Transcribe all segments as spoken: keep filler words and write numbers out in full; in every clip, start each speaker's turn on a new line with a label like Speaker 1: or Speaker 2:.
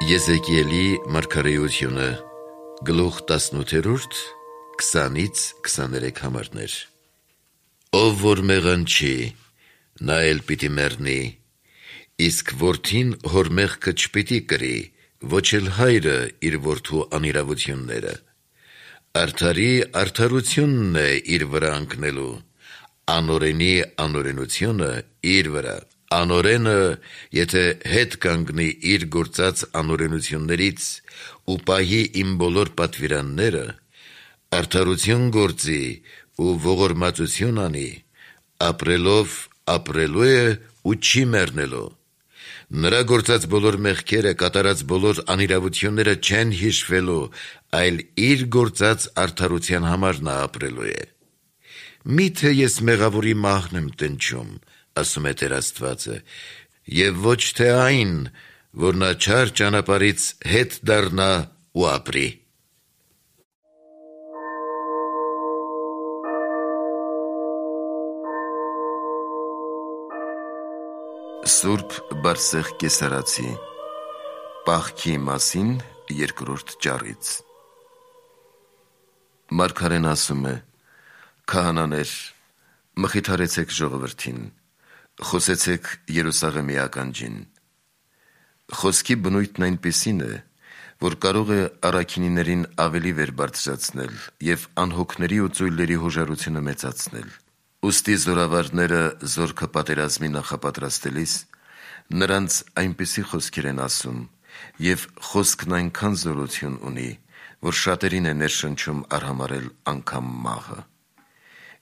Speaker 1: Եզեկիելի մարգարեությունը գլուխ տասնութերորդ քսանից քսաներեք համարներ։ Ով որ մեղանչի, նա էլ պիտի մեռնի, իսկ որդին հոր մեղքը չպիտի կրի, ոչ էլ հայրը իր որդու անիրավությունները։ Արդարի արդարությունն է իր վրա ընկնելու, անօրենի անօրենությունը իր վրա։ Անօրենը, եթե հետ կանգնի իր գործած անօրենություններից ու պահի իմ բոլոր պատվիրանները, արդարություն գործի ու ողորմածություն անի, ապրելով ապրելու է ու չի մեռնելու։ Նրա գործած բոլոր մեղքերը, կատարած բոլոր անիրավությունները չեն հիշվելու, այլ իր գործած արդարության համար նա ապրելու է։ Միթե ես մեղավորի մահն եմ տնչում, ասում է Տեր Աստվածը, և ոչ թե այն, որ նա չար ճանապարհից հետ դառնա ու ապրի։ Սուրբ Բարսեղ Կեսարացի պահքի մասին երկրորդ ճառից։ Մարգարեն ասում է. «Քահանաներ, մխիթարեցեք ժողովրդին, խոսեցեք Երուսաղեմի ականջին։ Խոսքի բնույթն այնպիսին է, որ կարող է առաքինիներին ավելի վեր բարձրացնել և անհոգների ու ծույլերի հոժարությունը մեծացնել։ Ուստի զորավարները զորքը պատերազմի նախապատրաստելիս նրանց այնպիսի խոսքեր են ասում, և խոսքն այնքան զորություն ունի, որ շատերին է ներշնչում արհամարհել անգամ մահը։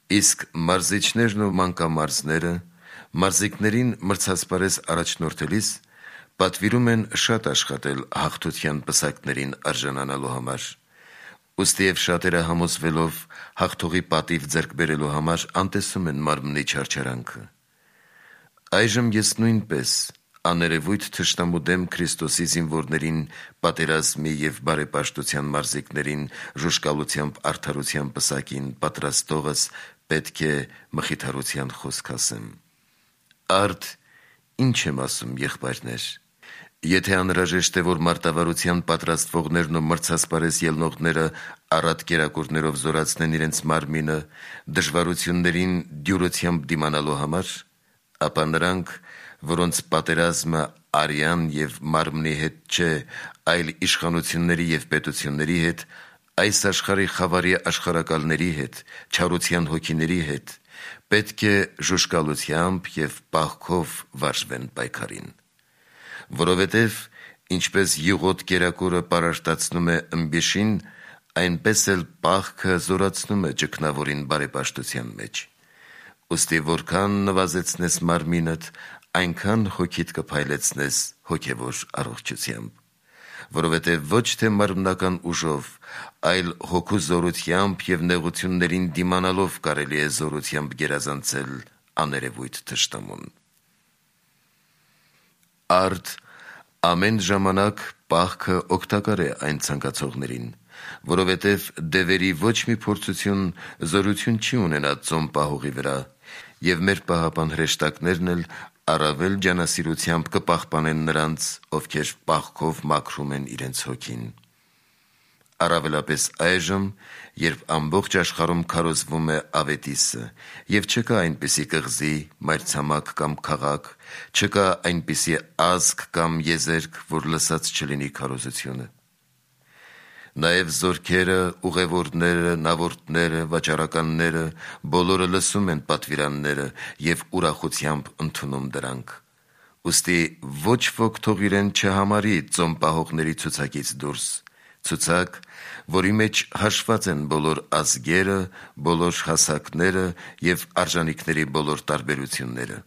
Speaker 1: Իսկ մարզիչներն ու մանկամարզները մարզիկներին մրցասպարեզ առաջնորդելիս պատվիրում են շատ աշխատել հաղթության պսակներին արժանանալու համար։ Ուստի և շատերը համոզվելով հաղթողի պատիվ ձեռք բերելու համար անտեսում են մարմնի չարչարանքը։ Այժմ ես նույնպես աներևույթ թշնամու դեմ Քրիստոսի զինվորներին, պատերազմի և բարեպաշտության մարզիկներին ժուժկալությամբ արդարության պսակին պատրաստողս պետք է մխիթարության խոսք ասեմ։ Արդ ինչ եմ ասում, եղբայրներ, եթե անհրաժեշտ է, որ մարտավարության պատրաստվողներն ու մրցասպարեզ ելնողները առատ կերակուրներով զորացնեն իրենց մարմինը դժվարություններին դյուրությամբ դիմանալու համար, ապա նրանք, որոնց պատերազմը արյան և մարմնի հետ չէ, այլ իշխանությունների և պետությունների հետ, այս աշխարհի խավարի աշխարհակալների հետ, չարության հոգիների հետ, պետք է ժուժկալությամբ և պահքով վարժվեն պայքարին։ Որովհետև ինչպես յուղոտ կերակուրը պարարտացնում է ըմբիշին, այնպես էլ պահքը զորացնում է ճգնավորին բարեպաշտության մեջ։ Ուստի որքան նվազեցնես մարմինդ, այնքան հոգիդ կփայլեցնես հոգևոր առողջությամբ։ Որովհետև ոչ թե մարմնական ուժով, այլ հոգու զորությամբ և նեղություններին դիմանալով կարելի է զորությամբ գերազանցել աներևույթ թշնամուն։ Արդ ամեն ժամանակ պահքը օգտակար է այն ցանկացողներին, որովհետև դևերի ոչ մի փորձություն զորություն չի ունենա ծոմ պահողի վրա, և մեր պահապան հրեշտակներն էլ առավել ջանասիրությամբ կպահպանեն նրանց, ովքեր պահքով մաքրում են իրենց հոգին։ Առավելապես այժմ, երբ ամբողջ աշխարհում քարոզվում է ավետիսը, և չկա այնպիսի կղզի, մայրցամաք կամ քաղաք, չկա այնպիսի ազգ կամ եզերք, որ լսած չլինի քարոզությունը։ Նաև զորքերը, ուղևորները, նավորդները, վաճառականները բոլորը լսում են պատվիրանները և ուրախությամբ ընդունում դրանք։ Ուստի ոչ ոք թող իրեն չհամարի ծոմ պահողների ցուցակից դուրս, ցուցակ, որի մեջ հաշված են բոլոր ազգերը, բոլոր հասակները և արժանիքների բոլոր տարբերությունները։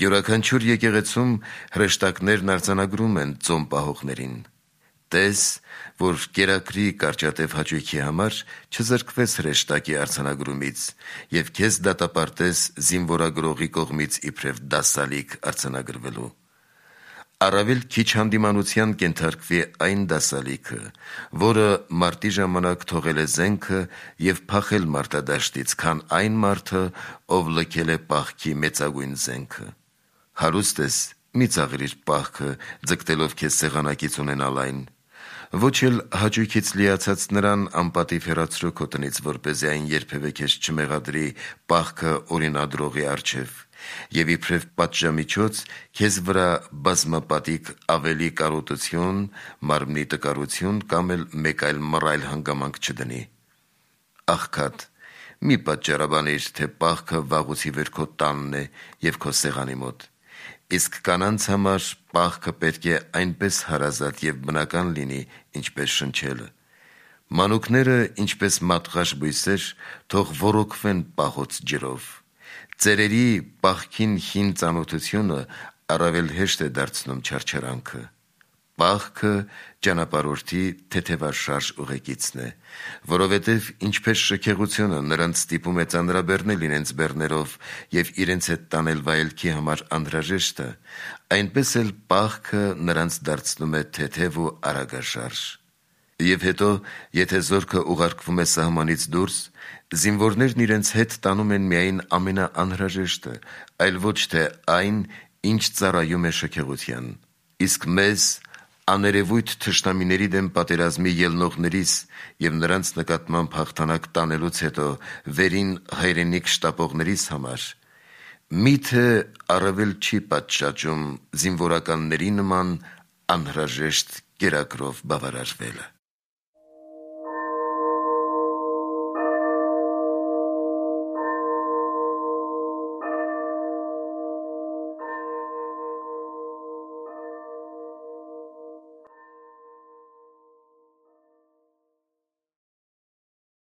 Speaker 1: Յուրաքանչյուր եկեղեցում հրեշտակներն արձանագրում են ծոմ պահողներին։ Տես, որ կերակրի կարճատև հաճույքի համար չզրկվես հրեշտակի արձանագրումից և քեզ դատապարտես զինվորագրողի կողմից իբրև դասալիկ արձանագրվելու։ Առավել քիչ հանդիմանության կենթարկվի այն դասալիքը, որը մարտի ժամանակ թողել է զենքը և փախել մարտադաշտից, քան այն մարդը, ով լքել է պահքի մեծագույն զենքը։ Հարուստ ես, մի ծաղրիր պահքը, ձգտելով քեզ սեղանակից ունենալ այն, ոչ էլ հաճույքից լիացած նրան անպատիվ հեռացրու քո տնից, որպեսզի այն երբևէ քեզ չմեղադրի պահքը օրինադրողի առջև, եւ իբրև պատժամիջոց քեզ վրա բազմապատիկ ավելի կարոտություն, մարմնի տկարություն կամ էլ մեկ այլ մռայլ հանգամանք չդնի։ Աղքատ, մի պատճառաբանիր, թե պահքը վաղուց ի վեր քո տանն է եւ քո սեղանի մոտ, իսկ կանանց համար պահքը պետք է այնպես հարազատ եւ բնական լինի, ինչպես շնչելը։ Մանուկները, ինչպես մատղաշ բույսեր, թող ոռոգվեն պահոց ջրով։ Ծերերի պահքին հին ծանոթությունը առավել հեշտ է դարձնում չարչարանքը։ Պահքը ճանապարհորդի թեթևաշարժ ուղեկիցն է, որովհետև ինչպես շքեղությունը նրանց ստիպում է ծանրաբեռնել իրենց բեռներով եւ իրենց հետ տանել վայելքի համար անհրաժեշտը, այնպես էլ պահքը նրանց դարձնում է թեթև ու արագաշարժ։ Եվ հետո, եթե զորքը ուղարկվում է սահմանից դուրս, զինվորներն իրենց հետ տանում են միայն ամենաանհրաժեշտը, այլ ոչ թե այն, ինչ ծառայում է շքեղության։ Իսկ մեզ, աներևույթ թշնամիների դեմ պատերազմի ելնողներիս եւ նրանց նկատմամբ հաղթանակ տանելուց հետո վերին հայրենիք շտապողներիս համար, միթե առավել չի պատշաճում զինվորականների նման անհրաժեշտ կերակրով բավարարվելը։